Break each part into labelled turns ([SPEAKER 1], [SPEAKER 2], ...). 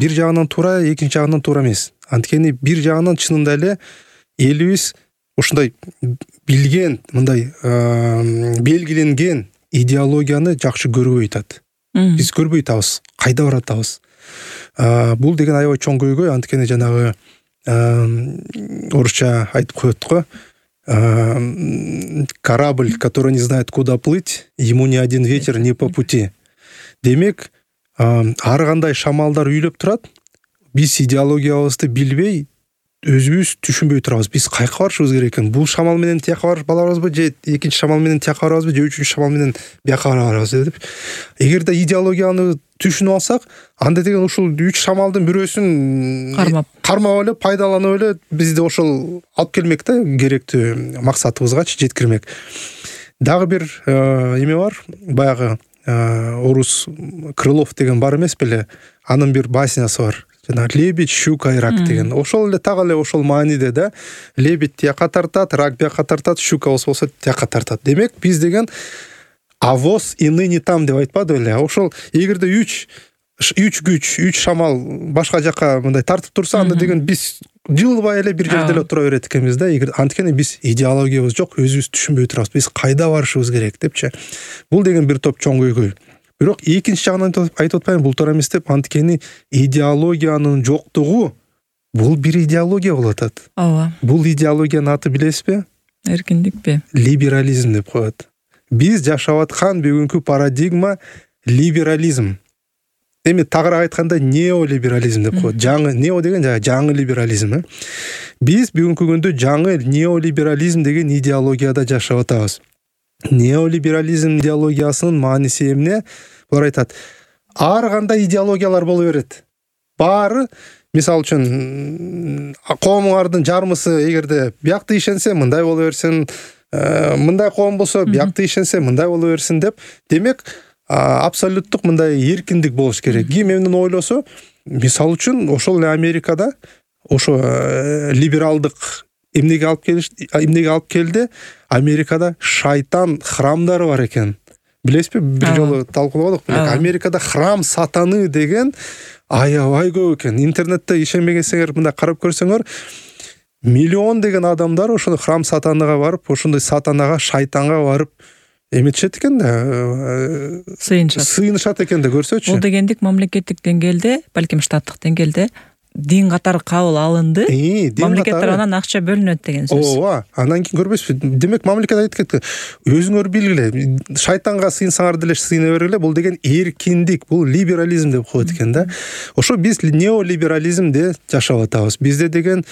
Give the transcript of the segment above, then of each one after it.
[SPEAKER 1] бир жагынан туура, экинчи жагынан туура эмес. Анткени бир жагынан чынында эле элибиз ушундай билген, мындай белгиленген идеологияны жакшы көрбөй атат. Биз көрбөй атабыз, кайда баратабыз. Бул деген аябай чоң көйгөй, анткени жанагы орусча айтып коет го. Корабль, который не знает, куда плыть, ему ни один ветер не по пути. Демек, ар кандай шамалдар үйлөп турат. Биз идеологиябызды билбей, өзүбүз түшүнбөй турабыз. Биз кайка барышыбыз керек экен? Бул шамал менен тияка барабызбы, же экинчи шамал менен тияка барабызбы, же үчүнчү шамал менен бияка барабызбы деп. Эгерде идеологияны түшүнүп алсак, анда деген ушул үч шамалдын бирөөсүн кармап эле, пайдаланып эле бизди ошол алып келмек да, керектүү максатыбызгачы жеткирмек. Дагы бир эме бар, баягы орус Крылов деген бар эмес беле? Анын бир баснясы бар. Лебедь, щука и рак деген. Ошол эле так эле ошол мааниде да. Лебедь тияка тартат, рак бияка тартат, щука болсо тияка тартат. Демек, биз деген авоз и ныне там деп айтпады беле? Ошол эгерде үч күч, үч шамал башка жака мындай тартып турса, анда деген биз жылбай эле бир жерде эле тура берет экенбиз да. Анткени биз идеологиябыз жок, өзүбүз түшүнбөй турабыз. Биз кайда барышыбыз керек депчи. Бул деген бир топ чоң көйгөй. Бирок экинчи жагынан айтып атпайм, бул туура эмес деп, анткени идеологиянын жоктугу бул бир идеология болуп атат.
[SPEAKER 2] Ооба.
[SPEAKER 1] Бул идеологиянын аты билесизби?
[SPEAKER 2] Эркиндикпи?
[SPEAKER 1] Либерализм деп коет. Биз жашап аткан бүгүнкү парадигма либерализм. Эми тагыраак айтканда неолиберализм деп коет. Жаңы нео деген жаңы либерализм. Биз бүгүнкү күндө жаңы неолиберализм деген идеологияда жашап атабыз. Неолиберализм идеологиясынын мааниси эмне? Булар айтат, ар кандай идеологиялар боло берет. Баары, мисалы үчүн, коомуңардын жармысы эгерде биякты ишенсе, мындай боло берсин, мындай коом болсо, биякты ишенсе, мындай боло берсин деп. Демек, абсолюттук мындай эркиндик болуш керек. Ким эмнени ойлосо, мисалы үчүн, ошол эле Америкада ошо либералдык эмнеге алып келди? Америкада шайтан храмдары бар экен. Билесизби? Бир жолу талкууладык беле. Америкада храм сатаны деген аябай көп экен. Интернетте ишенбегенсеңер, мындай карап көрсөңөр, миллион деген адамдар ошондой храм сатаныга барып, ошондой сатанага, шайтанга барып эметишет экен да. Сыйынышат экен да, көрсөчү.
[SPEAKER 2] Бул дегендик мамлекеттик деңгээлде, балким штаттык деңгээлде дин катары кабыл алынды. Мамлекет тарабынан акча бөлүнөт деген сөз.
[SPEAKER 1] Ооба, андан кийин көрбөйсүзбү? Демек, мамлекет айтып кетти. Өзүңөр билгиле, шайтанга сыйынсаңар деле сыйына бергиле. Бул деген эркиндик, бул либерализм деп коет экен да. Ошо биз неолиберализмде жашап атабыз. Бизде деген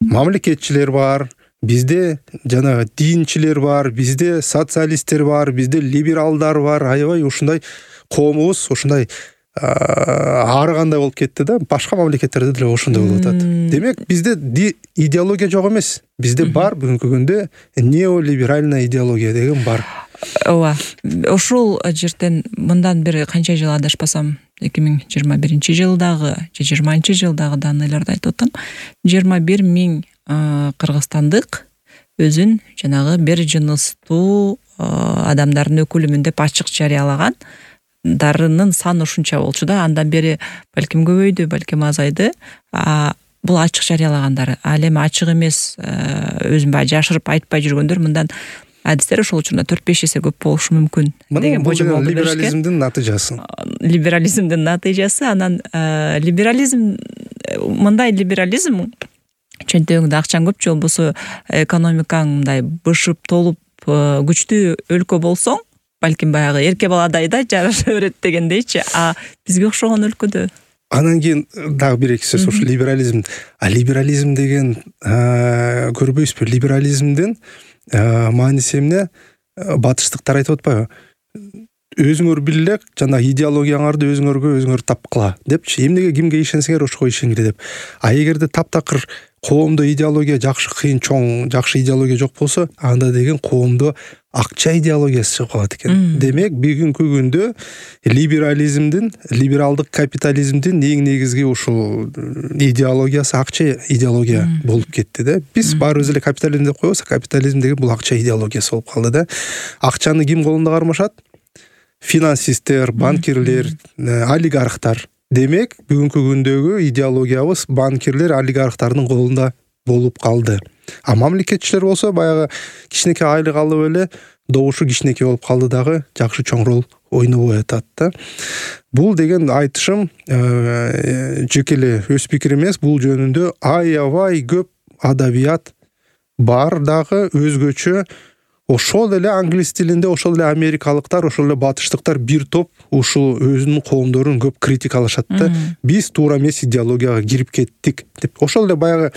[SPEAKER 1] мамлекетчилер бар, бизде жана динчилер бар, бизде социалисттер бар, бизде либералдар бар. Аябай ушундай коомубуз ушундай ары кандай болуп кетти да. Башка мамлекеттерде деле ошондой болуп атат. Демек, бизде идеология жок эмес. Бизде бар бүгүнкү күндө неолиберальная идеология деген бар.
[SPEAKER 2] Ооба. Ошол жерден мындан бери канча жыл адашпасам, 2021-жылдагы же 20-жылдагы данныйларды айтып атам. 21 миң кыргызстандык өзүн жанагы бир жыныстуу адамдардын өкүлүмүн деп ачык жарыялаган. Дарынын саны ушунча болчу да, андан бери балким көбөйдү, балким азайды. Бул ачык жарыялагандар. Ал эми ачык эмес, өзүн баягы жашырып айтпай жүргөндөр мындан адистер ошол учурда 4-5 эсе көп болушу мүмкүн деген божом болду.
[SPEAKER 1] Либерализмдин натыйжасы.
[SPEAKER 2] Либерализмдин натыйжасы. Анан либерализм, мындай либерализм чөнтөгүңдө акчаң көп, же болбосо экономикаң мындай бышып толуп күчтүү өлкө болсоң, балким баягы эрке баладай да жараша берет дегендейчи. Бизге окшогон өлкөдө.
[SPEAKER 1] Анан кийин дагы бир эки сөз ошо либерализм. Либерализм деген көрбөйсүзбү? Либерализмдин мааниси эмне? Батыштыктар айтып атпайбы? Өзүңөр биле, жана идеологияңарды өзүңөр тапкыла депчи. Эмнеге кимге ишенсеңер ошого ишенгиле деп. Эгерде таптакыр коомдо идеология жакшы кыйын чоң, жакшы идеология жок болсо, анда деген коомдо акча идеологиясы чыгып калат экен. Демек, бүгүнкү күндө либерализмдин, либералдык капитализмдин эң негизги ушул идеологиясы акча идеология болуп кетти да. Биз баарыбыз эле капитализм деп коебуз, капитализм деген бул акча идеологиясы болуп калды да. Акчаны ким колунда кармашат? Финансисттер, банкирлер, олигархтар. демек бүгүнкү күндөгү идеологиябыз банкирлер, олигархтардын колунда болуп калды. А мамлекетчилер болсо баягы кичинекей айлык алып эле добушу кичинекей болуп калды дагы жакшы чоң роль ойнобой атат да. Бул деген айтышым жеке эле өз пикир эмес, бул жөнүндө аябай көп адабият бар дагы өзгөчө. Ошол эле англис тилинде, ошол эле америкалыктар, ошол эле батыштыктар бир топ ушул өзүнүн коомдорун көп критикалашат да. Биз туура эмес идеологияга кирип кеттик деп. Ошол эле баягы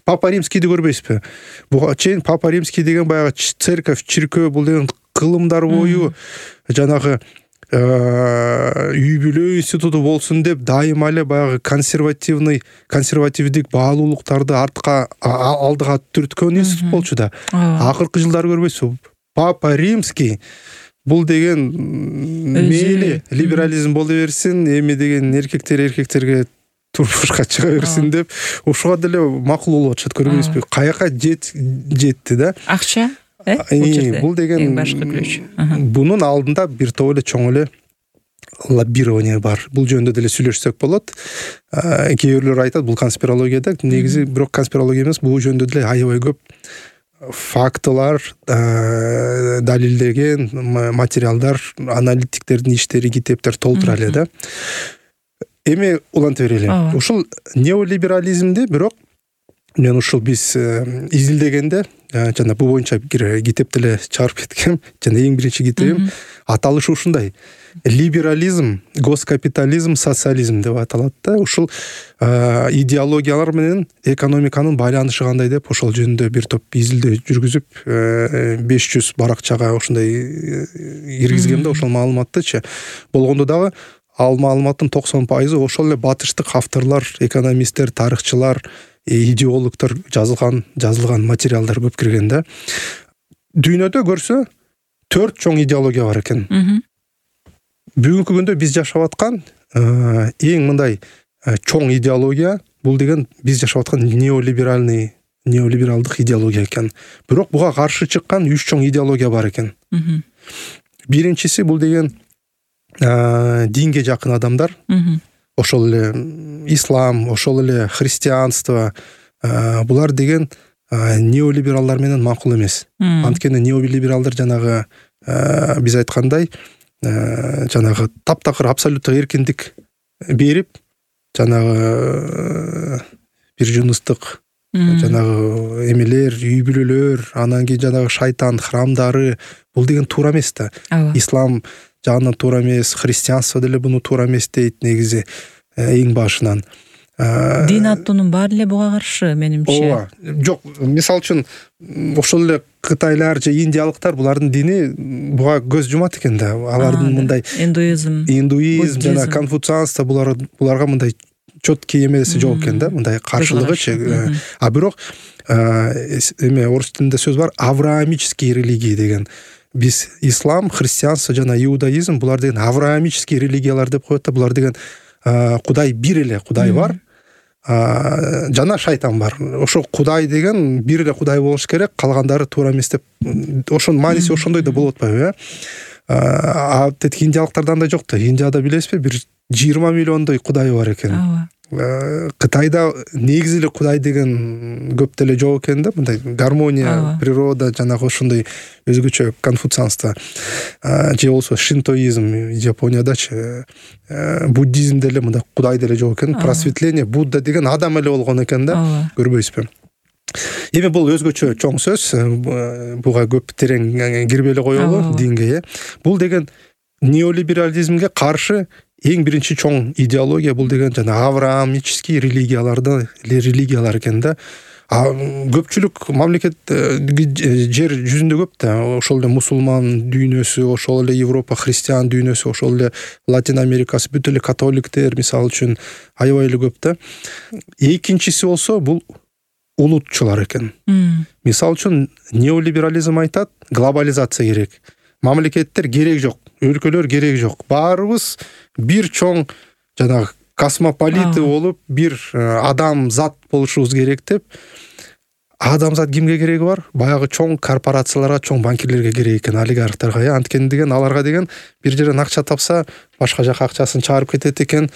[SPEAKER 1] Папа Римскийди көрбөйсүзбү? Буга чейин Папа Римский деген баягы церковь, чиркөө, бул деген кылымдар бою жанагы үй бүлө институту болсун деп дайыма эле баягы консервативдик баалуулуктарды алдыга түрткөн институт болчу да. Акыркы жылдары көрбөйсүзбү? Папа Римский бул деген мейли либерализм боло берсин, эми деген эркектерге турмушка чыга берсин деп ушуга деле макул болуп атышат, көрбөйсүзбү? Каяка жетти да.
[SPEAKER 2] Акча
[SPEAKER 1] бул деген
[SPEAKER 2] башкы күрөч.
[SPEAKER 1] Бунун алдында бир топ эле чоң эле лоббирование бар. Бул жөнүндө деле сүйлөшсөк болот. Кээ бирлер айтат бул конспирологияда, негизи бирок конспирология эмес, бул жөнүндө деле аябай көп фактылар, далилдеген материалдар, аналитиктердин иштери, китептер толтура эле да. Эми уланта берели. Ушул неолиберализмди бирок мен ушул биз изилдегенде жана бул боюнча китеп деле чыгарып кеткем. Жана эң биринчи китебим аталышы ушундай: либерализм, госкапитализм, социализм деп аталат да. Ушул идеологиялар менен экономиканын байланышы кандай деп ошол жөнүндө бир топ изилдөө жүргүзүп 500 баракчага ошондой киргизгем да ошол маалыматтычы. Болгондо дагы ал маалыматтын 90% ошол эле батыштык авторлар, экономисттер, тарыхчылар, идеологдор жазылган материалдар көп кирген да. Дүйнөдө көрсө 4 чоң идеология бар экен. Бүгүнкү күндө биз жашап аткан эң мындай чоң идеология бул деген биз жашап аткан неолибералдык идеология экен. Бирок буга каршы чыккан 3 чоң идеология бар экен. Биринчиси бул деген динге жакын адамдар. Ошол эле ислам, ошол эле христианство, булар деген неолибералдар менен макул эмес. Анткени неолибералдар жанагы биз айткандай жанагы таптакыр абсолюттук эркиндик берип, жанагы бир жыныстык жанагы эмелер, үй бүлөлөр, анан кийин жанагы шайтан храмдары, бул деген туура эмес да. Ислам жагынан туура эмес, христианство деле буну туура эмес дейт негизи эң башынан.
[SPEAKER 2] Дин аттуунун баары эле буга каршы, менимче.
[SPEAKER 1] Жок, мисалы үчүн ошол эле кытайлар же индиялыктар булардын дини буга көз жумат экен да. Алардын мындай индуизм жана конфуцианство буларга мындай чөткөй эмеси жок экен да, мындай каршылыгычы. А бирок эме орус тилинде сөз бар, авраамический религия деген. Биз ислам, христианство жана иудаизм булар деген авраамический религиялар деп коет да. Булар деген Кудай бир эле Кудай бар, жана шайтан бар. Ошо Кудай деген бир эле Кудай болуш керек, калгандары туура эмес деп. Ошонун мааниси ошондой да болуп атпайбы, а тетик индиялыктарда андай жок да. Индияда билесизби, бир 20 миллиондой Кудай бар экен. Кытайда негизи эле Кудай деген көп деле жок экен да, мындай гармония, природа, жанагы ошондой өзгөчө конфуцианство. Же болсо шинтоизм Япониядачы, буддизм деле мындай Кудай деле жок экен. Просветление, Будда деген адам эле болгон экен да, көрбөйсүзбү? Эми бул өзгөчө чоң сөз, буга көп терең кирбей эле коелу динге. Бул деген неолиберализмге каршы эң биринчи чоң идеология бул деген жана авраамический религиялар экен да. Көпчүлүк мамлекет жер жүзүндө көп да. Ошол эле мусулман дүйнөсү, ошол эле Европа христиан дүйнөсү, ошол эле Латин Америкасы, бүт эле католиктер мисалы үчүн аябай эле көп да. Экинчиси болсо бул улутчулар экен. Мисалы үчүн неолиберализм айтат, глобализация керек. Мамлекеттер керек жок, өлкөлөр керек жок. Баарыбыз бир чоң жанагы космополиты болуп, бир адам зат болушубуз керек деп. Адамзат кимге кереги бар? Баягы чоң корпорацияларга, чоң банкирлерге керек экен, олигархтарга. Анткени деген аларга деген бир жерден акча тапса, башка жака акчасын чыгарып кетет экен.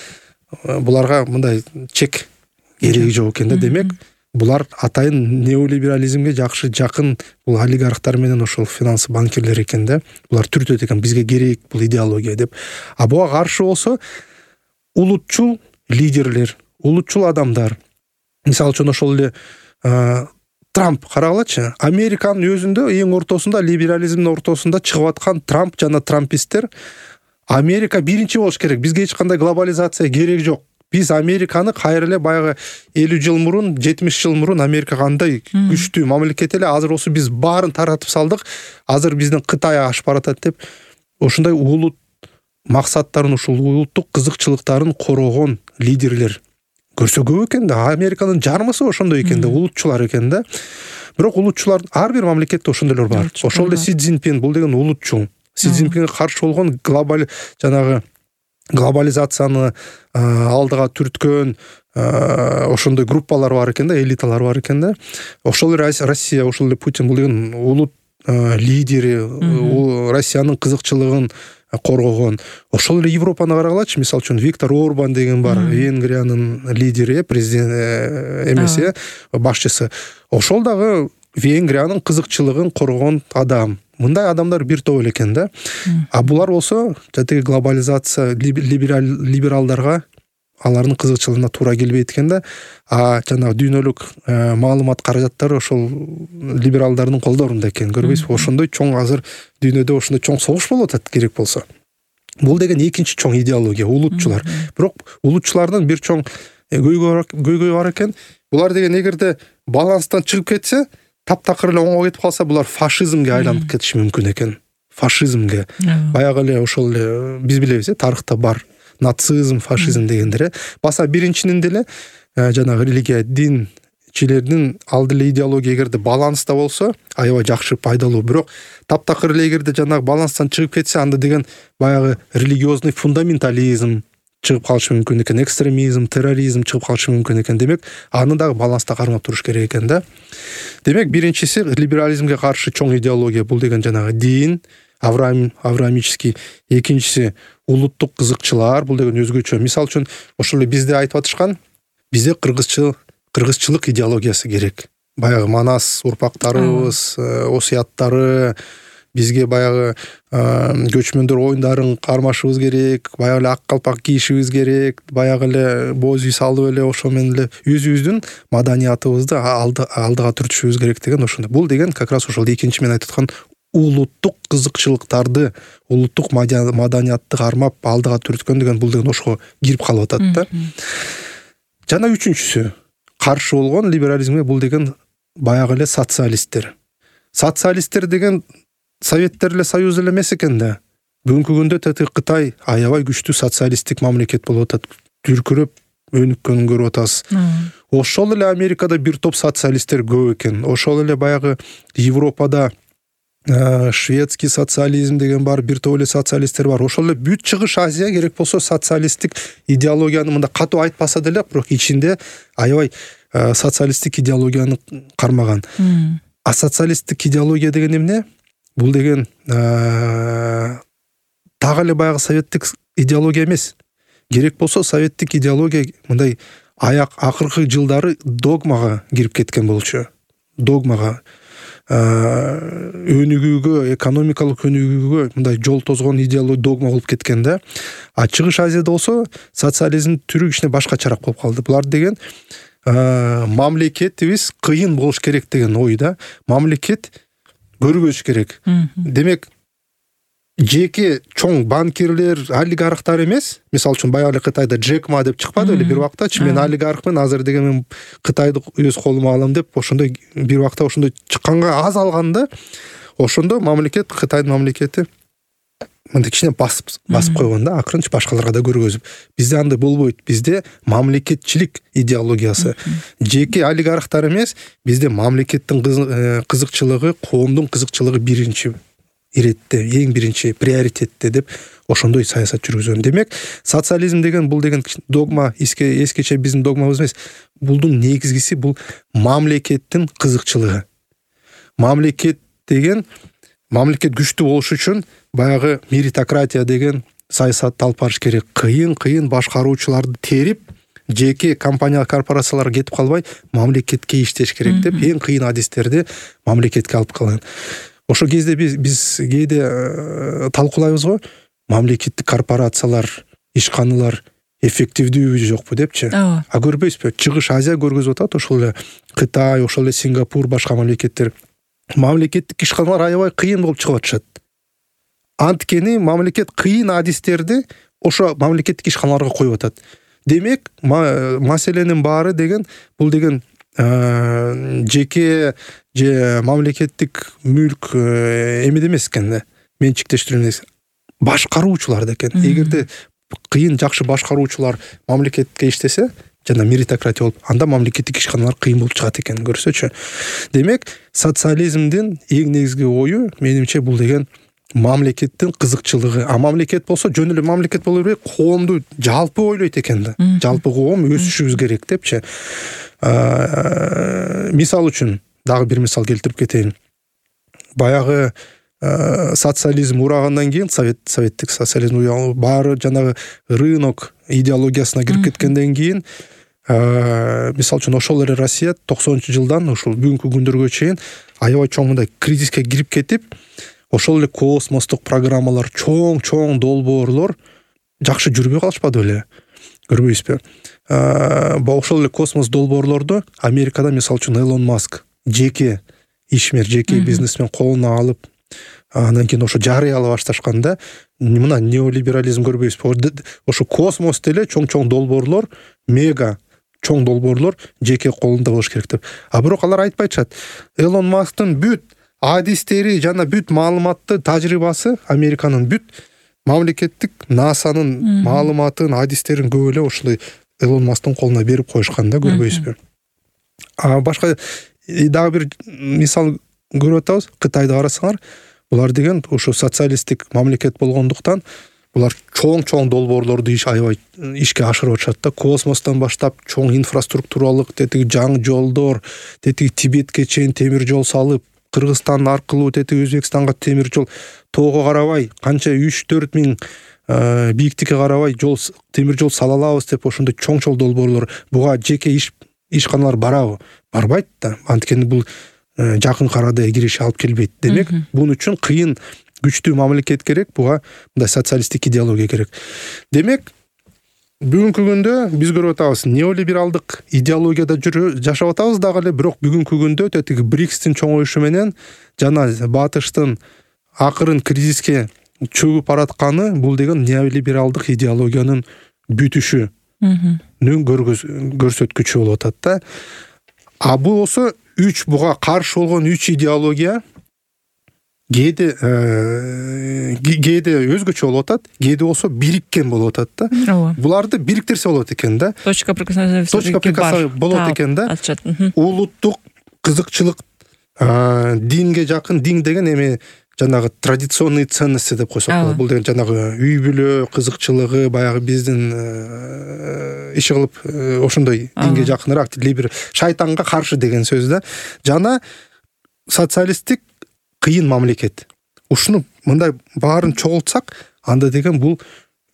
[SPEAKER 1] буларга мындай чек кереги жок экен да. Демек булар атайын неолиберализмге жакшы жакын бул олигархтар менен ошол финанс банкирлер экен да. Булар түртөт экен, бизге керек бул идеология деп. А буга каршы болсо улутчул лидерлер, улутчул адамдар. Мисалы үчүн ошол эле Трамп карагылачы, Американын өзүндө эң ортосунда, либерализмдин ортосунда чыгып аткан Трамп жана трамписттер Америка биринчи болуш керек, бизге эч кандай глобализация керек жок. Биз Американы кайра эле баягы 50 жыл мурун, 70 жыл мурун Америка кандай күчтүү мамлекет эле, азыр осы биз баарын таратып салдык. Азыр биздин Кытай ашып баратат деп ошондой улут максаттарын, ушул улуттук кызыкчылыктарын корогон лидерлер көрсө көп экен да. Американын жармысы ошондой экен да, улутчулар экен да. Бирок улутчулар ар бир мамлекетте ошондойлор бар. Ошол эле Си Цзиньпин, бул деген улутчул. Си Цзиньпинге каршы болгон глобализацияны алдыга түрткөн ошондой группалар бар экен да, элиталар бар экен да. Ошол эле Россия, ошол эле Путин, бул деген улут лидери, Россиянын кызыкчылыгын коргогон. Ошол эле Европаны карагалачы, мисалы үчүн Виктор Орбан деген бар, Венгриянын лидери, президент эмеси, башчысы. Ошол дагы Венгриянын кызыкчылыгын коргогон адам. Мындай адамдар бир топ эле экен да. А булар болсо жатеги глобализация, либералдарга алардын кызыкчылыгына туура келбейт экен да. А жанагы дүйнөлүк маалымат каражаттары ошол либералдардын колдорунда экен. Көрбөйсүзбү? Ошондой чоң азыр дүйнөдө ошондой чоң согуш болуп атат керек болсо. Бул деген экинчи чоң идеология, улутчулар. Бирок улутчулардын бир чоң көйгөйү бар экен. Булар деген эгерде баланстан чыгып кетсе, таптакыр эле оңго кетип калса, булар фашизмге айланып кетиши мүмкүн экен. Фашизмге. Баягы эле ошол эле биз билебиз, тарыхта бар нацизм, фашизм дегендер. Баса биринчинин деле жанагы религия, динчилердин алды эле идеология эгерде баланста болсо, аябай жакшы, пайдалуу. Бирок таптакыр эле эгерде жанагы баланстан чыгып кетсе, анда деген баягы религиозный фундаментализм чыгып калышы мүмкүн экен, экстремизм, терроризм чыгып калышы мүмкүн экен. Демек, аны дагы баланста кармап туруш керек экен да. Демек, биринчиси либерализмге каршы чоң идеология, бул деген жанагы дин, авраамический. Экинчиси улуттук кызыкчылар, бул деген өзгөчө. Мисалы үчүн, ошол эле бизде айтып атышкан, бизде кыргызчылык идеологиясы керек. Баягы Манас урпактарыбыз, осуяттары, бизге баягы көчмөндөр оюндарын кармашыбыз керек, баягы эле ак калпак кийишибиз керек, баягы эле боз үй салып эле ошо менен эле өзүбүздүн маданиятыбызды алдыга түртүшүбүз керек деген ошондой. Бул деген как раз ошол экинчи мен айтып аткан улуттук кызыкчылыктарды, улуттук маданиятты кармап алдыга түрткөн деген, бул деген ошого кирип калып атат да. Жана үчүнчүсү каршы болгон либерализмге, бул деген баягы эле социалисттер. Социалисттер деген Советтер эле союз эле эмес экен да. Бүгүнкү күндө Кытай аябай күчтүү социалисттик мамлекет болуп атат. Дүркүрөп өнүккөнүн көрүп атабыз. Ошол эле Америкада бир топ социалисттер көп экен. Ошол эле баягы Европада шведский социализм деген бар, бир топ эле социалисттер бар. Ошол эле бүт Чыгыш Азия керек болсо социалисттик идеологияны мында катуу айтпаса деле, бирок ичинде аябай социалисттик идеологияны кармаган. А социалисттик идеология деген эмне? Бул деген дагы эле баягы советтик идеология эмес. Керек болсо советтик идеология мындай акыркы жылдары догмага кирип кеткен болчу. Догмага, өнүгүүгө, экономикалык өнүгүүгө мындай жол тозгон идеология, догма болуп кеткен да. А Чыгыш Азияда болсо социализм түрү кичине башкачараак болуп калды. Булар деген мамлекетибиз кыйын болуш керек деген ой да. Мамлекет көрбөш керек. Демек, жеке чоң банкирлер, олигархтар эмес. Мисалы үчүн баягы эле Кытайда Джек Ма деп чыкпады эле бир убактачы. Мен олигархмын, азыр деген мен Кытайды өз колума алам деп, ошондой бир убакта ошондой чыкканга аз алганда, ошондо мамлекет, Кытайдын мамлекети мындай кичине басып койгон да, акырынча башкаларга да көргөзүп. Бизде андай болбойт. Бизде мамлекетчилик идеологиясы. Жеке олигархтар эмес, бизде мамлекеттин кызыкчылыгы, коомдун кызыкчылыгы биринчи иретте, эң биринчи приоритетте деп ошондой саясат жүргүзгөн. Демек, социализм деген, бул деген догма, эскече биздин догмабыз эмес. Булдун негизгиси бул мамлекеттин кызыкчылыгы. Мамлекет деген, мамлекет күчтүү болуш үчүн баягы меритократия деген саясатты алып барыш керек. Кыйын башкаруучуларды терип, жеке компания корпорацияларга кетип калбай, мамлекетке иштеш керек деп эң кыйын адистерди мамлекетке алып калган. Ошол кезде биз кээде талкуулайбыз го, мамлекеттик корпорациялар, ишканалар эффективдүүбү жокпу депчи. А көрбөйсүзбү? Чыгыш Азия көргөзүп атат, ошол эле Кытай, ошол эле Сингапур, башка мамлекеттер. Мамлекеттик ишканалар аябай кыйын болуп чыгып атышат. Анткени мамлекет кыйын адистерди ошо мамлекеттик ишканаларга коюп атат. Демек, маселенин баары деген бул деген жеке же мамлекеттик мүлк эмеде эмес экен да. Менчиктештирүү эмес. Башкаруучуларда экен. Эгерде кыйын жакшы башкаруучулар мамлекетке иштесе, жана меритократия болуп, анда мамлекеттик ишканалар кыйын болуп чыгат экен, көрсөчү. Демек, социализмдин эң негизги ою, менимче, бул деген мамлекеттин кызыкчылыгы. А мамлекет болсо жөн эле мамлекет боло бербей, коомду жалпы ойлойт экен да. Жалпы коом өсүшүбүз керек депчи. Мисал үчүн дагы бир мисал келтирип кетейин. Баягы социализм урагандан кийин, советтик социализм баары жанагы рынок идеологиясына кирип кеткенден кийин, мисал үчүн ошол эле Россия 90-жылдан ушул бүгүнкү күндөргө чейин аябай чоң мындай кризиске кирип кетип, ошол эле космостук программалар, чоң долбоорлор жакшы жүрбөй калышпады беле? Көрбөйсүзбү? Ошол эле космос долбоорлорду Америкада мисал үчүн Элон Маск жеке ишмер, жеке бизнесмен колуна алып, андан кийин ошо жарыялай башташканда, мына неолиберализм көрбөйсүзбү? Ошо космос деле чоң долбоорлор, мега чоң долбоорлор жеке колунда болуш керек деп. А бирок алар айтпайчат. Элон Масктын бүт адистери жана бүт маалыматты тажрыйбасы, Американын бүт мамлекеттик НАСАнын маалыматын, адистерин көп эле ошол Элон Масктын колуна берип коюшкан да, көрбөйсүзбү? Башка дагы бир мисал көрүп атабыз. Кытайды карасаңар, булар деген ошо социалисттик мамлекет болгондуктан булар чоң долбоорлорду аябай ишке ашырып атышат да. Космостон баштап чоң инфраструктуралык, тетиги жаңы жолдор, тетиги Тибетке чейин темир жол салып, Кыргызстан аркылуу тетиги Өзбекстанга темир жол, тоого карабай канча 3-4 миң бийиктикке карабай темир жол сала алабыз деп ошондой чоң долбоорлор. Буга жеке ишканалар барабы? Барбайт да. Анткени бул жакын арада кириш алып келбейт. Демек, бунун үчүн кыйын, күчтүү мамлекет керек, буга мындай социалисттик идеология керек. Демек, бүгүнкү күндө биз көрүп атабыз, неолибералдык идеологияда жашап атабыз дагы эле, бирок бүгүнкү күндө тетиги БРИКСтин чоңоюшу менен жана батыштын акырын кризиске чөгүп баратканы бул деген неолибералдык идеологиянын бүтүшүнүн көрсөткүчү болуп атат да. А бул болсо буга каршы болгон 3 идеология кээде өзгөчө болуп атат, кээде болсо бириккен болуп атат да. Буларды бириктирсе болот экен да. Точка прикосновения болот экен да. Улуттук кызыкчылык, динге жакын, дин деген эми жанагы традиционный ценности деп койсок болот. Бул деген жанагы үй бүлө кызыкчылыгы, баягы биздин иши кылып ошондой динге жакыныраак, бир шайтанга каршы деген сөз да. Жана социалисттик кыйын мамлекет. Ушуну мындай баарын чогултсак, анда деген бул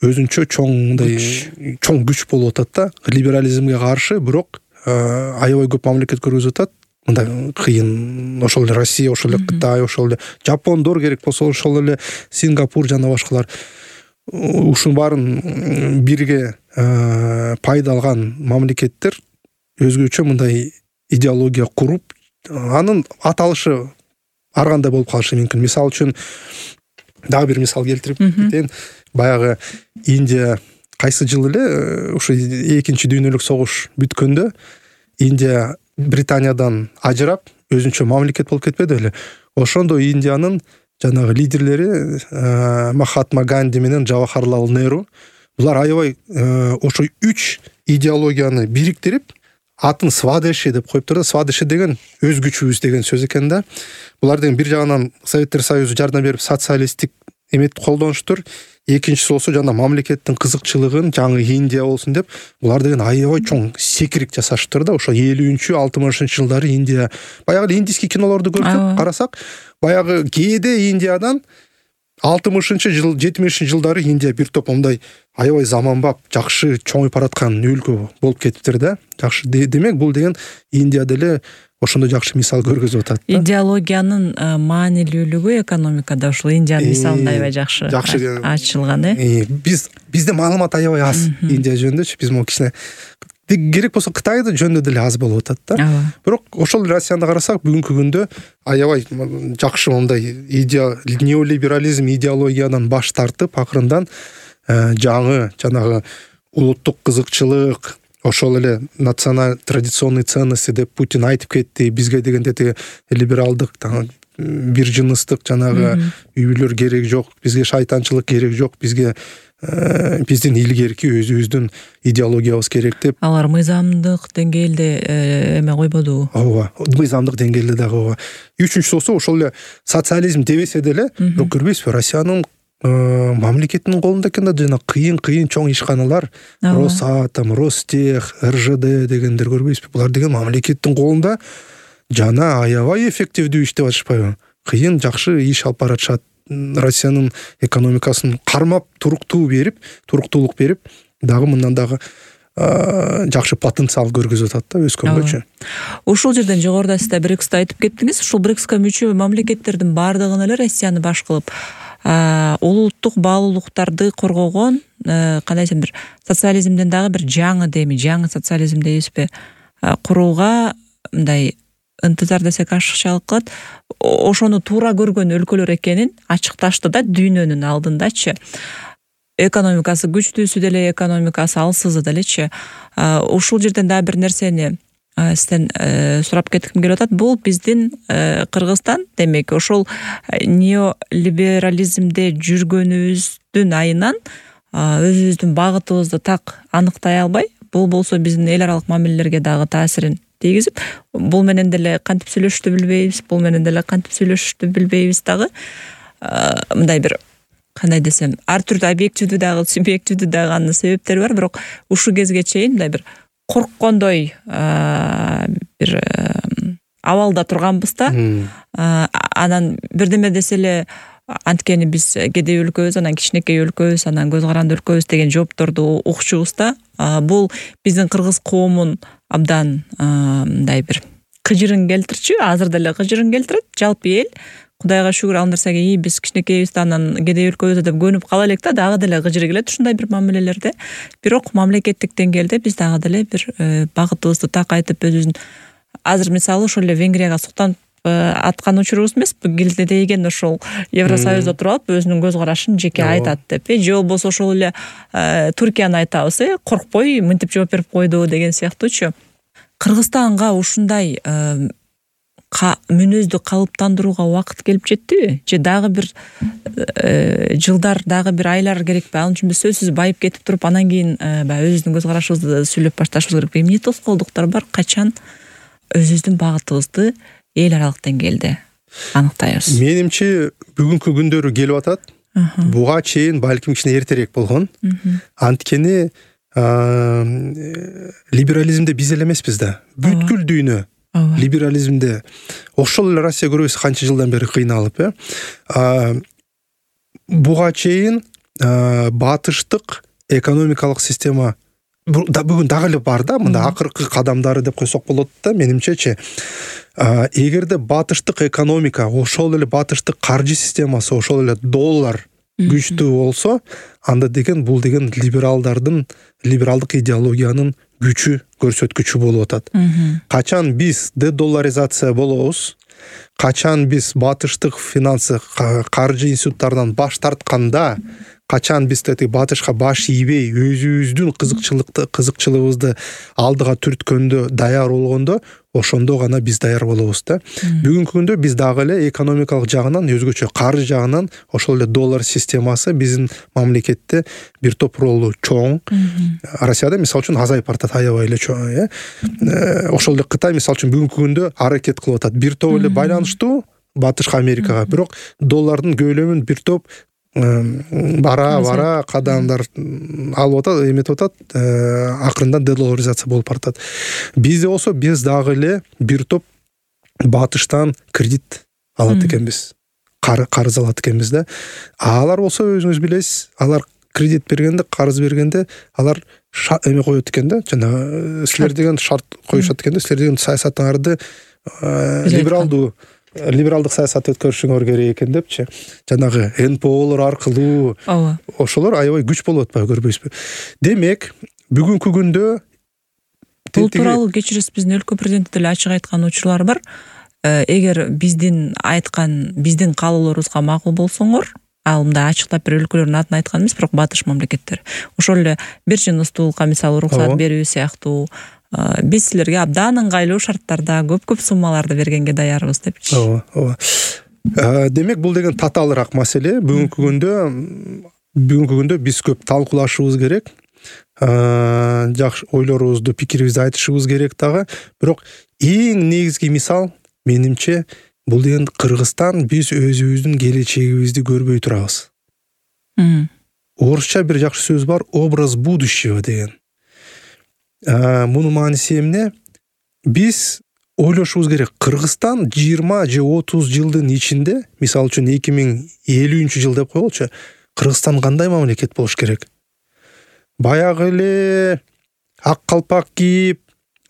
[SPEAKER 1] өзүнчө чоң күч болуп атат да. Либерализмге каршы, бирок аябай көп мамлекет көргөзүп атат. Мындай кыйын, ошол эле Россия, ошол эле Кытай, ошол эле Жапондор керек болсо, ошол эле Сингапур жана башкалар. Ушунун баарын бирге пайда алган мамлекеттер өзгөчө мындай идеология куруп, анын аталышы ар кандай болуп калышы мүмкүн. Мисал үчүн дагы бир мисал келтирип кетейин. Баягы Индия кайсы жыл эле ушу 2-чи дүйнөлүк согуш бүткөндө Индия Британиядан ажырап өзүнчө мамлекет болуп кетпеди беле? Ошондо Индиянын жанагы лидерлери Махатма Ганди менен Джавахарлал Неру, булар аябай ошо 3 идеологияны бириктирип, атын Свадеши деп коюптур да. Свадеши деген өз күчүбүз деген сөз экен да. Булар деген бир жагынан Советтер Союзу жардам берип социалисттик эметип колдонуштур. Экинчиси болсо жана мамлекеттин кызыкчылыгын жаңы Индия болсун деп, булар деген аябай чоң секирик жасаштыр да. Ошо 50-60 жылдары Индия, баягы индийский кинолорду көрсөк, карасак, баягы кээде Индиядан 60-жыл 70-жылдары Индия бир топ мындай аябай заманбап жакшы чоңуйуп бараткан өлкө болуп кетиптир да. Жакшы демек бул деген Индия деле ошондой жакшы мисал көргөзүп атат да.
[SPEAKER 2] Идеологиянын маанилүүлүгү экономикада ушул Индиянын мисалында аябай жакшы ачылган. Бизде маалымат аябай аз Индия жөнүндө. Биз могу кичине керек болсо Кытайды жөнүндө деле аз болуп атат да. Бирок ошол Россияны карасак бүгүнкү күндө аябай жакшы мындай неолиберализм идеологиядан баш тартып акырындан жаңы жанагы улуттук кызыкчылык, ошол эле националь традиционный ценности деп Путин айтып кетти. Бизге деген дети либералдык, бир жыныстык жанагы үй бүлөлөр керек жок, бизге шайтанчылык керек жок, бизге биздин илгерки өзүбүздүн идеологиябыз керек деп. Алар мыйзамдык деңгээлде эме койбодубу?
[SPEAKER 1] Ооба, мыйзамдык деңгээлде дагы ооба. Үчүнчүсү ошол эле социализм дебесе деле, бирок көрбөйсүзбү, Россиянын мамлекеттин колунда экен да жана кыйын чоң ишканалар, Росатом, Ростех, РЖД дегендер көрбөйсүзбү? Булар деген мамлекеттин колунда жана аябай эффективдүү иштеп атышпайбы? Кыйын жакшы иш алып баратышат. Россиянын экономикасын кармап туруктуулук берип, дагы мындан дагы жакшы потенциал көргөзүп атат да өскөнгөчө.
[SPEAKER 2] Ушул жерден жогоруда сиз БРИКСти айтып кеттиңиз. Ушул БРИКСка мүчө мамлекеттердин бардыгын эле Россияны баш кылып улуттук баалуулуктарды коргогон, кандай десем, бир социализмден дагы бир жаңы социализм дейбизби, курууга мындай ынтызар десек ашыкчалык кылат. Ошону туура көргөн өлкөлөр экенин ачыкташты да дүйнөнүн алдындачы. Экономикасы күчтүүсү деле, экономикасы алсызы делечи. Ушул жерден дагы бир нерсени сизден сурап кетким келип атат. Бул биздин Кыргызстан, демек, ошол неолиберализмде жүргөнүбүздүн айынан өзүбүздүн багытыбызды так аныктай албай, бул болсо биздин эл аралык мамилелерге дагы таасирин тийгизип, бул менен деле кантип сүйлөшүштү билбейбиз, бул менен деле кантип сүйлөшүштү билбейбиз дагы. Мындай бир, кандай десем, ар түрдүү объективдүү дагы, субъективдүү дагы анын себептери бар, бирок ушул кезге чейин мындай бир корккондой бир абалда турганбыз да. Анан бирдеме десе эле, анткени биз кедей өлкөбүз, анан кичинекей өлкөбүз, анан көз каранды өлкөбүз деген жоопторду укчубуз да. Бул биздин кыргыз коомун абдан мындай бир кыжырын келтирчү, азыр деле кыжырын келтирет. Жалпы эл, Кудайга шүгүр, ал нерсеге биз кичинекейбиз да, анан кедей өлкөбүз да деп көнүп кала элек да, дагы деле кыжыры келет ушундай бир мамилелерде. Бирок мамлекеттик деңгээлде биз дагы деле бир багытыбызды так айтып, өзүбүздүн азыр мисалы ошол эле Венгрияга суктанып аткан учурубуз эмеспи, килдедейген ошол Евросоюзда туруп алып өзүнүн көз карашын жеке айтат деп. Же болбосо ошол эле Түркияны айтабыз, коркпой мынтип жооп берип койду деген сыяктуучу. Кыргызстанга ушундай мүнөздү калыптандырууга убакыт келип жеттиби? Же дагы бир жылдар, дагы бир айлар керекпи? Ал үчүн биз сөзсүз байып кетип туруп, анан кийин баягы өзүбүздүн көз карашыбызды сүйлөп башташыбыз керекпи? Эмне тоскоолдуктар бар? Качан өзүбүздүн багытыбызды эл аралык деңгээлде аныктайбыз? Менимче
[SPEAKER 1] бүгүнкү күндөрү келип атат. Буга чейин балким кичине эртерээк болгон. Анткени либерализмде биз эле эмеспиз да. Бүткүл дүйнө либерализмде. Ошол эле Россия көрөбүз канча жылдан бери кыйналып, буга чейин батыштык экономикалык система бүгүн дагы эле бар да, мында акыркы кадамдары деп койсок болот да, менимчечи. Эгерде батыштык экономика, ошол эле батыштык каржы системасы, ошол эле доллар күчтүү болсо, анда деген бул деген либералдык идеологиянын күчү, көрсөткүчү болуп атат. Качан биз дедолларизация болобуз, качан биз батыштык финансы, каржы институттарынан баш тартканда, качан биз батышка баш ийбей, өзүбүздүн кызыкчылыгыбызды алдыга түрткөндө, даяр болгондо, ошондо гана биз даяр болобуз да. Бүгүнкү күндө биз дагы эле экономикалык жагынан, өзгөчө каржы жагынан ошол эле доллар системасы биздин мамлекетте бир топ ролу чоң. Россияда мисалы үчүн азайып баратат, аябай эле чоң, Ошол эле Кытай мисалы үчүн бүгүнкү күндө аракет кылып атат. Бир топ эле байланыштуу Батышка, Америкага, бирок доллардын көлөмүн бир топ бара кадамдар алып атат, эметип атат, акырындан дедолларизация болуп баратат. Бизде болсо биз дагы эле бир топ батыштан кредит алат экенбиз. карыз алат экенбиз да. Алар болсо өзүңүз билесиз, алар кредит бергенде, карыз бергенде алар эме коет экен да, жана силер деген шарт коюшат экен да, силер деген саясатыңарды либералдык саясат өткөрүшүңөр керек экен депчи. Жанагы НПОлор аркылуу ошолор аябай күч болуп атпайбы, көрбөйсүзбү? Демек, бүгүнкү күндө
[SPEAKER 2] бул тууралуу кечиресиз, биздин өлкө президенти деле ачык айткан учурлар бар. Эгер биздин каалоолорубузга макул болсоңор, ал мындай ачыктап бир өлкөлөрдүн атын айткан эмес, бирок батыш мамлекеттер. Ошол эле биржиностуулукка мисалы уруксат берүү сыяктуу биз силерге абдан ыңгайлуу шарттарда көп суммаларды бергенге даярбыз депчи.
[SPEAKER 1] Ооба. Демек, бул деген татаалыраак маселе. Бүгүнкү күндө биз көп талкуулашыбыз керек. Жакшы ойлорубузду, пикирибизди айтышыбыз керек дагы. Бирок эң негизги мисал менимче бул деген Кыргызстан, биз өзүбүздүн келечегибизди көрбөй турабыз. Орусча бир жакшы сөз бар, образ будущего деген. Мунун мааниси эмне? Биз ойлошубуз керек. Кыргызстан 20 же 30 жылдын ичинде, мисалы үчүн 2050 жыл деп коелучу, Кыргызстан кандай мамлекет болуш керек? Баягы эле ак калпак кийип,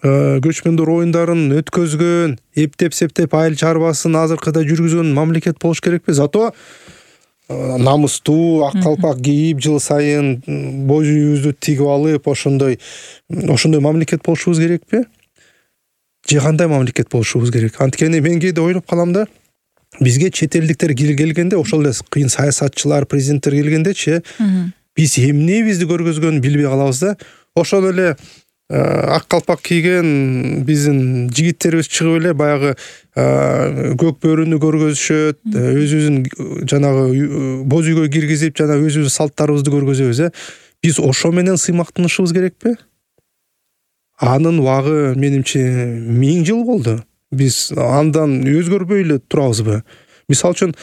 [SPEAKER 1] көчмөндөр оюндарын өткөзгөн, эптеп-септеп айыл чарбасын азыркыда жүргүзгөн мамлекет болуш керекпи? Зато намыстуу ак калпак кийип, жыл сайын боз үйүбүздү тигип алып, ошондой мамлекет болушубуз керекпи? Же кандай мамлекет болушубуз керек? Анткени мен кээде ойлоп калам да, бизге чет элдиктер келгенде, ошол эле кыйын саясатчылар, президенттер келгендечи, биз эмнебизди көргөзгөнүн билбей калабыз да. Ошол эле ак калпак кийген биздин жигиттерибиз чыгып эле баягы көк бөрүнү көргөзүшөт, өзүбүздүн жанагы боз үйгө киргизип, жана өзүбүздүн салттарыбызды көргөзөбүз. Биз ошо менен сыймактанышыбыз керекпи? Анын убагы менимче 1000 жыл болду. Биз андан өзгөрбөй эле турабызбы? Мисалы үчүн,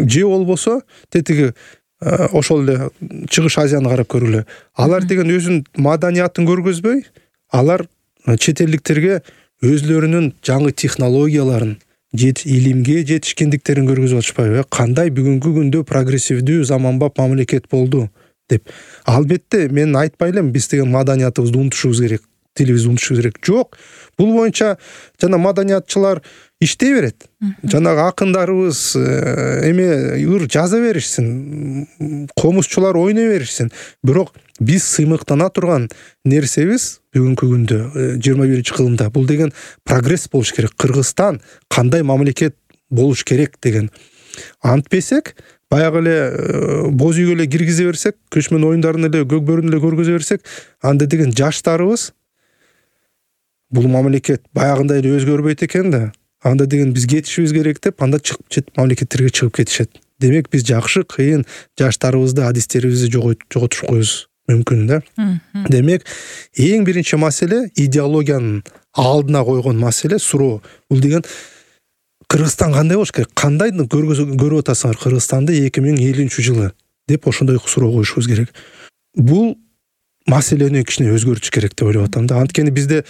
[SPEAKER 1] же болбосо тетиги ошол эле Чыгыш Азияны карап көрөлү. Алар деген өзүнүн маданиятын көргөзбөй, алар чет элдиктерге өзлөрүнүн жаңы технологияларын, илимге жетишкендиктерин көргөзүп атышпайбы? Кандай бүгүнкү күндө прогрессивдүү, заманбап мамлекет болду деп. Албетте, мен айтпай элем биз деген маданиятыбызды унутушубуз керек, тилибизди унутушубуз керек. Жок, бул боюнча жана маданиятчылар иштей берет. Жанагы акындарыбыз ыр жаза беришсин, комузчулар ойной беришсин. Бирок биз сыймыктана турган нерсебиз бүгүнкү күндө 21-кылымда бул деген прогресс болуш керек. Кыргызстан кандай мамлекет болуш керек деген. Антпесек, баягы эле боз үйгө эле киргизе берсек, көчмөн оюндарын эле, көк бөрүн эле көргөзө берсек, анда деген жаштарыбыз бул мамлекет баягындай эле өзгөрбөйт экен да. Анда деген биз кетишибиз керек деп, анда чыгып чет мамлекеттерге чыгып кетишет. Демек, биз жакшы кыйын жаштарыбызды, адистерибизди жоготуш коюбуз мүмкүн да. Демек, эң биринчи маселе идеологиянын алдына койгон маселе, суроо. Бул деген Кыргызстан кандай болуш керек? Кандайды көрүп атасыңар Кыргызстанды 2050 жылы деп ошондой суроо коюшубуз керек. Бул маселени кичине өзгөртүш керек деп ойлоп атам да. Анткени бизде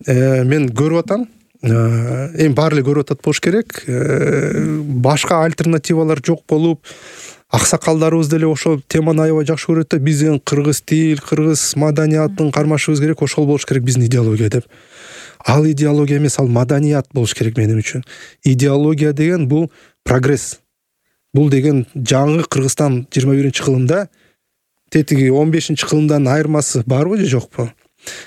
[SPEAKER 1] мен көрүп атам, эми баары эле көрүп атат болуш керек. Башка альтернативалар жок болуп, аксакалдарыбыз деле ошол теманы аябай жакшы көрөт да. Биздин кыргыз тил, кыргыз маданиятын кармашыбыз керек, ошол болуш керек биздин идеология деп. Ал идеология эмес, ал маданият болуш керек менин үчүн. Идеология деген бул прогресс. Бул деген жаңы Кыргызстан 21-кылымда тетиги 15-кылымдан айырмасы барбы же жокпу?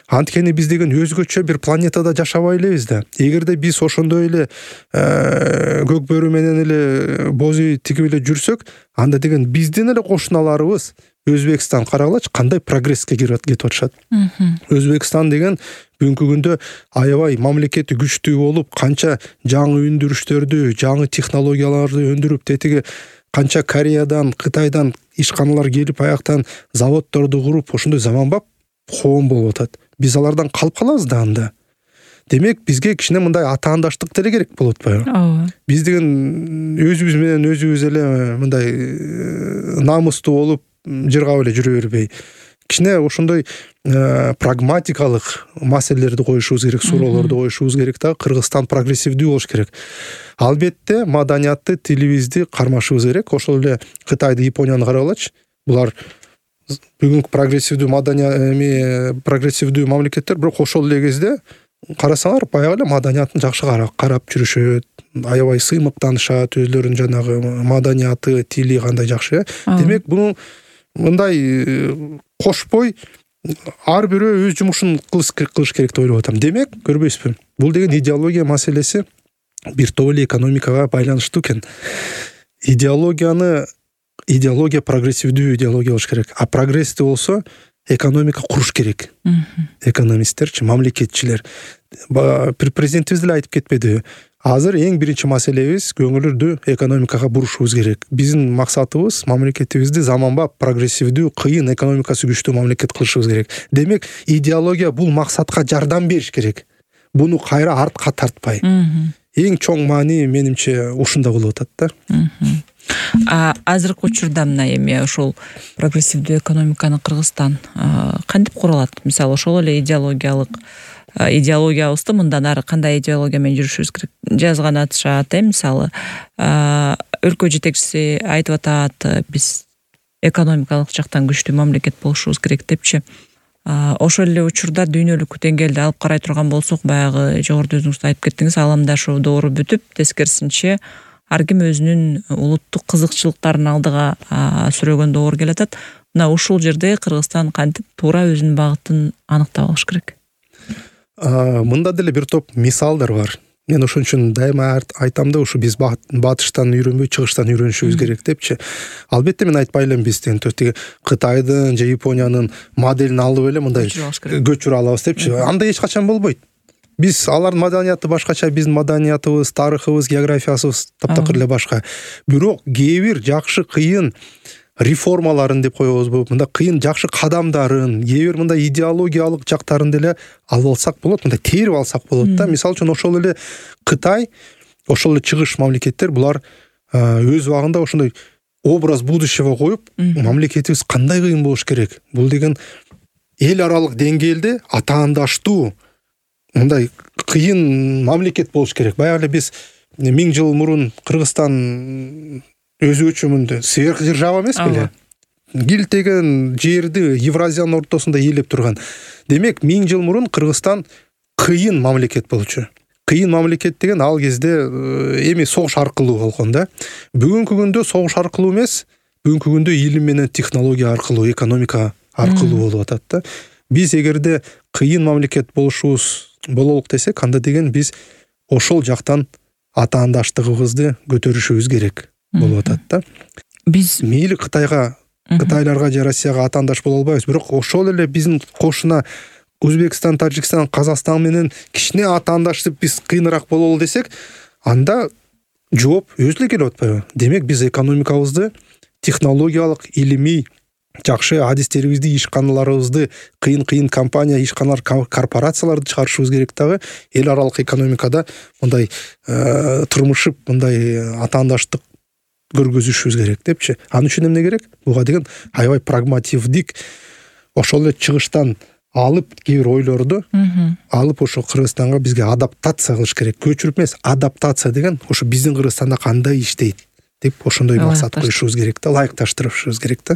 [SPEAKER 1] Анткени биз деген өзгөчө бир планетада жашабай элебиз да. Эгерде биз ошондой эле көк бөрү менен эле боз үй тигип эле жүрсөк, анда деген биздин эле кошуналарыбыз Өзбекстан карагылачы кандай прогресске кетип атышат. Өзбекстан деген бүгүнкү күндө аябай мамлекети күчтүү болуп, канча жаңы өндүрүштөрдү, жаңы технологияларды өндүрүп, тетиги канча Кореядан, Кытайдан ишканалар келип, аяктан заводдорду куруп, ошондой заманбап коом болуп атат. Биз алардан калып калабыз да анда. Демек, бизге кичине мындай атаандаштык деле керек болуп атпайбы?
[SPEAKER 2] Ооба.
[SPEAKER 1] Биз деген өзүбүз менен өзүбүз эле мындай намыстуу болуп, жыргап эле жүрө бербей, кичине ошондой прагматикалык маселелерди коюшубуз керек, суроолорду коюшубуз керек да. Кыргызстан прогрессивдүү болуш керек. Албетте маданиятты, тилибизди кармашыбыз керек. Ошол эле Кытайды, Японияны карагылачы. Булар бүгүнкү прогрессивдүү мамлекеттер, бирок ошол эле кезде карасаңар баягы эле маданиятын жакшы карап жүрүшөт, аябай сыймыктанышат, өзлөрүнүн жанагы маданияты, тили кандай жакшы. Демек буну мындай кошпой ар бирөө өз жумушун кылыш керек деп ойлоп атам. Демек, көрбөйсүзбү? Бул деген идеология маселеси бир топ эле экономикага байланыштуу экен. Идеология прогрессивдүү идеология болуш керек. А прогрессти болсо экономика куруш керек. Экономисттерчи, мамлекетчилер. Президентибиз деле айтып кетпедиби? Азыр эң биринчи маселебиз көңүлдү экономикага бурушубуз керек. Биздин максатыбыз мамлекетибизди заманбап, прогрессивдүү, кыйын экономикасы күчтүү мамлекет кылышыбыз керек. Демек, идеология бул максатка жардам бериш керек. Буну кайра артка тартпай. Эң чоң маани менимче ушунда болуп атат да.
[SPEAKER 2] Азыркы учурда мына эми ошол прогрессивдүү экономиканы Кыргызстан кантип куралат? Мисалы, ошол эле идеологиябызды мындан ары кандай идеология менен жүрүшүбүз керек? Жазган атышат, мисалы, өлкө жетекчиси айтып атат, биз экономикалык жактан күчтүү мамлекет болушубуз керек депчи. Ошол эле учурда дүйнөлүк деңгээлде алып карай турган болсок, баягы жогоруда өзүңүз айтып кеттиңиз, аламдашуу доору бүтүп, тескерисинче ар ким өзүнүн улуттук кызыкчылыктарын алдыга сүрөгөн доор келатат. Мына ушул жерде Кыргызстан кантип туура өзүнүн багытын аныктап алыш керек?
[SPEAKER 1] Мында деле бир топ мисалдар бар. Мен ошон үчүн дайыма айтам да, ушу биз батыштан үйрөнбөй, чыгыштан үйрөнүшүбүз керек депчи. Албетте мен айтпай элем биз тиги Кытайдын же Япониянын моделин алып эле мындай көчүрө алабыз депчи. Андай эч качан болбойт. Биз алардын маданияты башкача, биздин маданиятыбыз, тарыхыбыз, географиясыбыз таптакыр эле башка. Бирок кээ бир жакшы кыйын реформаларын деп коебузбу, мындай кыйын жакшы кадамдарын, кээ бир мындай идеологиялык жактарын деле алып алсак болот, мындай терип алсак болот да. Мисалы үчүн ошол эле Кытай, ошол эле чыгыш мамлекеттер, булар өз убагында ошондой образ будущего коюп, мамлекетибиз кандай кыйын болуш керек? Бул деген эл аралык деңгээлде атаандаштуу мындай кыйын мамлекет болуш керек. Баягы эле биз 1000 жыл мурун Кыргызстан өзү сверхдержава эмес беле? Килтеген жерди Евразиянын ортосунда ээлеп турган. Демек, 1000 жыл мурун Кыргызстан кыйын мамлекет болчу. Кыйын мамлекет деген ал кезде эми согуш аркылуу болгон да. Бүгүнкү күндө согуш аркылуу эмес, бүгүнкү күндө илим менен технология аркылуу, экономика аркылуу болуп атат да. Биз эгерде кыйын мамлекет бололук десек, анда деген биз ошол жактан атаандаштыгыбызды көтөрүшүбүз керек болуп атат да. Биз мейли Кытайларга же Россияга атаандаш боло албайбыз, бирок ошол эле биздин кошуна Өзбекстан, Тажикстан, Казакстан менен кичине атаандаштып биз кыйыныраак бололу десек, анда жооп өзү эле келип атпайбы? Демек, биз экономикабызды технологиялык, илимий жакшы адистерибизди, ишканаларыбызды, кыйын компания, ишканалар, корпорацияларды чыгарышыбыз керек дагы эл аралык экономикада мындай турмушуп, мындай атаандаштык көргөзүшүбүз керек депчи. Анын үчүн эмне керек? Буга деген аябай прагмативдик, ошол эле чыгыштан алып кээ бир ойлорду алып ошо Кыргызстанга бизге адаптация кылыш керек. Көчүрүп эмес, адаптация деген ошо биздин Кыргызстанда кандай иштейт деп ошондой максат коюшубуз керек да, ылайыкташтырышыбыз керек да.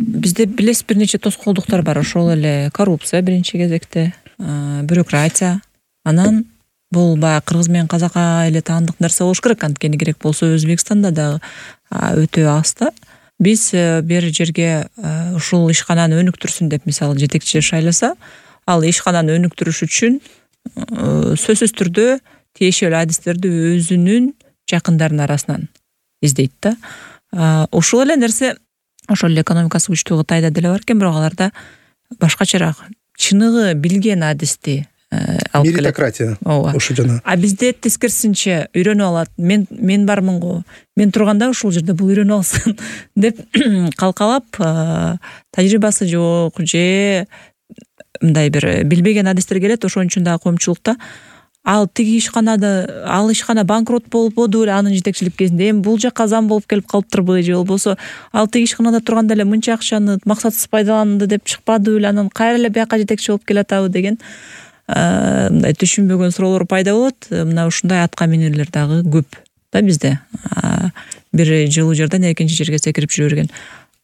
[SPEAKER 2] Бизде билесиз, бир нече тоскоолдуктар бар. Ошол эле коррупция биринчи кезекте, бюрократия. Анан бул баягы кыргыз менен казакка эле таандык нерсе болуш керек. Анткени керек болсо Өзбекстанда дагы өтө аз да. Биз бир жерге ушул ишкананы өнүктүрсүн деп, мисалы, жетекчи шайласа, ал ишкананы өнүктүрүш үчүн сөзсүз түрдө тиешелүү адистерди өзүнүн жакындарынын арасынан издейт да. Ушул эле нерсе ошол эле экономикасы күчтүү Кытайда деле бар экен, бирок аларда башкачараак чыныгы билген адисти алып келет.
[SPEAKER 1] Меритократия. Ошо жана.
[SPEAKER 2] А бизде тескерисинче үйрөнүп алат. Мен бармын го. Мен турганда ушул жерде бул үйрөнүп алсын деп калкалап, тажрыйбасы жок же мындай бир билбеген адистер келет. Ошон үчүн дагы коомчулукта ал тиги ал ишкана банкрот болбоду эле анын жетекчилик кезинде, эми бул жакка зам болуп келип калыптырбы, же болбосо ал тиги ишканада турганда эле мынча акчаны максатсыз пайдаланды деп чыкпадыбы эле, анан кайра эле бияка жетекчи болуп келатабы деген мындай түшүнбөгөн суроолор пайда болот. Мына ушундай атка минерлер дагы көп да бизде. Бир жылуу жерден экинчи жерге секирип жүрө берген.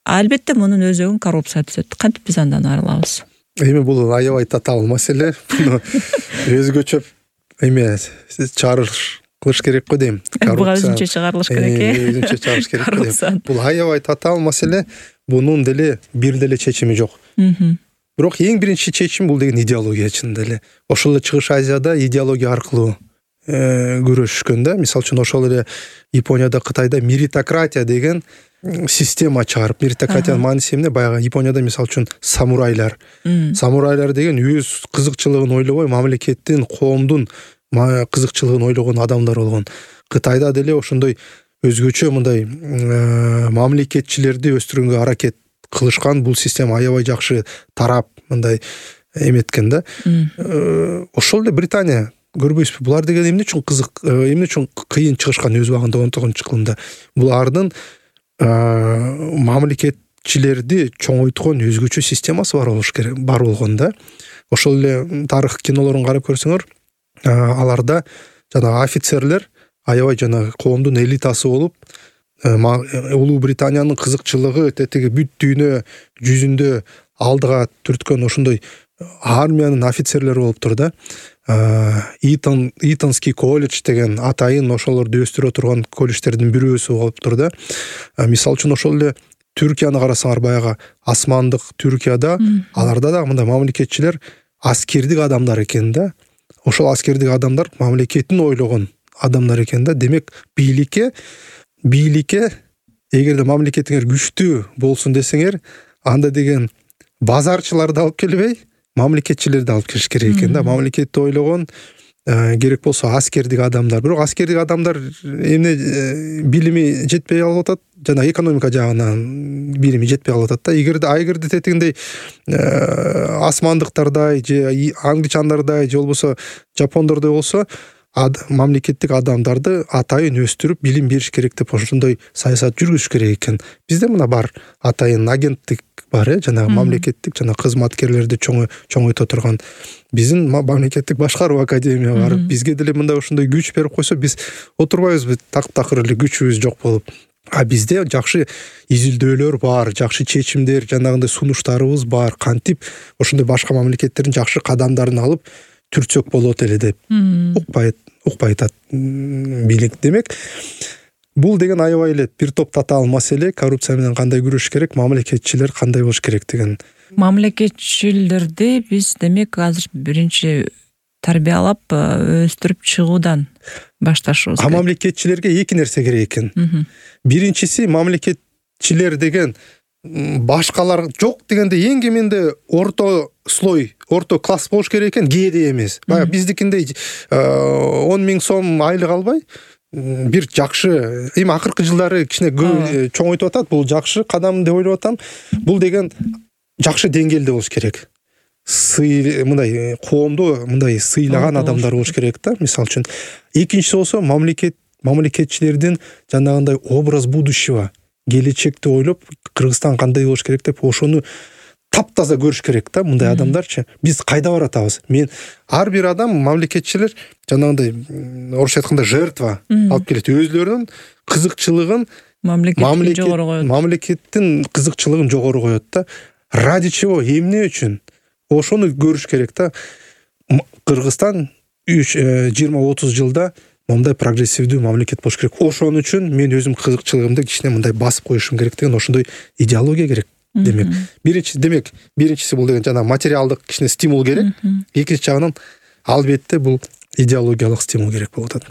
[SPEAKER 2] Албетте мунун өзөгүн коррупция түзөт. Кантип биз андан арылабыз?
[SPEAKER 1] Эми бул аябай татаал маселе. Буну өзгөчө чыгарыш кылыш керек го дейм.
[SPEAKER 2] Буга өзүнчө чыгарылыш керек.
[SPEAKER 1] Өзүнчө чыгарыш керек го дейм. Бул аябай татаал маселе. Бунун деле бир деле чечими жок. Бирок эң биринчи чечим бул деген идеология чынында эле. Ошол эле Чыгыш Азияда идеология аркылуу күрөшүшкөн да. Мисалы үчүн ошол эле Японияда, Кытайда меритократия деген система чыгарып, меритократиянын мааниси эмне? Баягы Японияда мисалы үчүн самурайлар деген өз кызыкчылыгын ойлобой, мамлекеттин, коомдун кызыкчылыгын ойлогон адамдар болгон. Кытайда деле ошондой өзгөчө мындай мамлекетчилерди өстүргөнгө аракет кылышкан. Бул система аябай жакшы тарап мындай эметкен да. Ошол эле Британия, көрбөйсүзбү? Булар деген эмне үчүн кызык, эмне үчүн кыйын чыгышкан өз убагында 19-кылымда? Булардын мамлекетчилерди чоңойткон өзгөчө системасы бар болгон да. Ошол эле тарых кинолорун карап көрсөңөр, аларда жанагы офицерлер аябай жанагы коомдун элитасы болуп, Улуу Британиянын кызыкчылыгы тетиги бүт дүйнө жүзүндө алдыга түрткөн ошондой армиянын офицерлери болуптур да. Итонский колледж деген атайын ошолорду өстүрө турган колледждердин бирөөсү болуптур да. Мисалы үчүн ошол эле Түркияны карасаңар, баягы асмандык Түркияда аларда да мындай мамлекетчилер аскердик адамдар экен да. Ошол аскердик адамдар мамлекетин ойлогон адамдар экен да. Демек бийликке эгерде мамлекетиңер күчтүү болсун десеңер, анда деген базарчыларды алып келбей, мамлекетчилерди алып келиш керек экен да. Мамлекетти ойлогон, керек болсо аскердик адамдар. Бирок аскердик адамдар эмне билими жетпей калып атат, жана экономика жагынан билими жетпей калып атат да. Эгерде тетигиндей асмандыктардай же англичандардай же болбосо жапондордой болсо, мамлекеттик адамдарды атайын өстүрүп билим бериш керек деп ошондой саясат жүргүзүш керек экен. Бизде мына бар атайын агенттик бар, жанагы мамлекеттик жана кызматкерлерди чоңойто турган биздин мамлекеттик башкаруу академия бар. Бизге деле мындай ошондой күч берип койсо, биз отурбайбызбы такыр эле күчүбүз жок болуп. Бизде жакшы изилдөөлөр бар, жакшы чечимдер, жанагындай сунуштарыбыз бар. Кантип ошондой башка мамлекеттердин жакшы кадамдарын алып түртсөк болот эле деп укпай атат бийлик. Демек, бул деген аябай эле бир топ татаал маселе. Коррупция менен кандай күрөшүш керек, мамлекетчилер кандай болуш керек деген.
[SPEAKER 2] Мамлекетчилерди биз демек азыр биринчи тарбиялап өстүрүп чыгуудан башташыбыз керек.
[SPEAKER 1] Мамлекетчилерге эки нерсе керек экен. Биринчиси, мамлекетчилер деген башкалар жок дегенде эң кеминде орто слой, орто класс болуш керек экен, кээде эмес. Баягы биздикиндей 10.000 сом айлык албай, бир жакшы, эми акыркы жылдары кичине чоңойтуп атат, бул жакшы кадам деп ойлоп атам. Бул деген жакшы деңгээлде болуш керек. Мындай коомду мындай сыйлаган адамдар болуш керек да, мисалы үчүн. Экинчиси болсо, мамлекетчилердин жанагындай образ будущего, келечекти ойлоп, Кыргызстан кандай болуш керек деп ошону таптаза көрүш керек да, мындай адамдарчы. Биз кайда баратабыз? Ар бир адам, мамлекетчилер жанагындай орусча айтканда жертва алып келет. Өзлөрүнүн кызыкчылыгын мамлекеттин кызыкчылыгын жогору коет да. Ради чего, эмне үчүн? Ошону көрүш керек да. Кыргызстан 20-30 жылда мындай прогрессивдүү мамлекет болуш керек. Ошон үчүн мен өзүм кызыкчылыгымды кичине мындай басып коюшум керек деген ошондой идеология керек. Демек, биринчиси бул деген жана материалдык кичине стимул керек. Экинчи жагынан албетте бул идеологиялык стимул керек болуп атат.